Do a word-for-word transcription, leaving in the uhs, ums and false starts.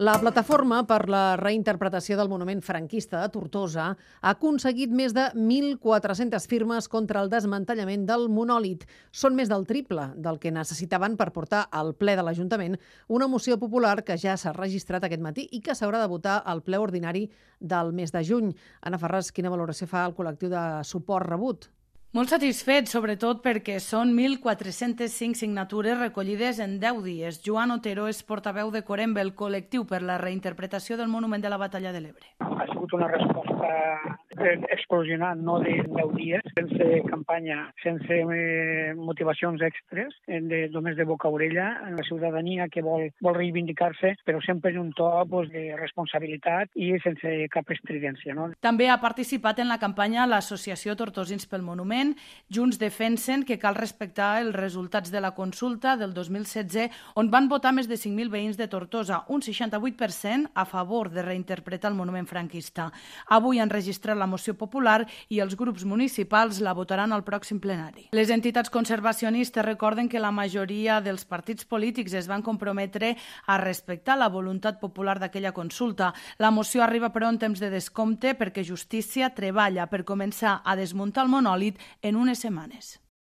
La plataforma per la reinterpretació del monument franquista de Tortosa ha aconseguit més de mil quatre-centes firmes contra el desmantellament del monòlit. Són més del triple del que necessitaven per portar al ple de l'Ajuntament una moció popular que ja s'ha registrat aquest matí i que s'haurà de votar al ple ordinari del mes de juny. Anna Ferràs, quina valoració fa el col·lectiu de suport rebut? Molt satisfet, sobretot perquè són mil quatre-centes cinc signatures recollides en deu dies. Joan Otero és portaveu de Corembe, el col·lectiu per la reinterpretació del monument de la Batalla de l'Ebre. Ha sigut una resposta explosionant, no de deu dies, sense campanya, sense motivacions extres, de, només de boca a orella, en la ciutadania que vol, vol reivindicar-se, però sempre en un to pues, de responsabilitat i sense cap estridència. No? També ha participat en la campanya l'Associació Tortosins pel Monument. Junts defensen que cal respectar els resultats de la consulta del dos mil setze, on van votar més de cinc mil veïns de Tortosa, un seixanta-vuit per cent a favor de reinterpretar el monument franquista. Avui han registrat la moció popular i els grups municipals la votaran al pròxim plenari. Les entitats conservacionistes recorden que la majoria dels partits polítics es van comprometre a respectar la voluntat popular d'aquella consulta. La moció arriba però en temps de descompte perquè Justícia treballa per començar a desmuntar el monòlit en unes setmanes.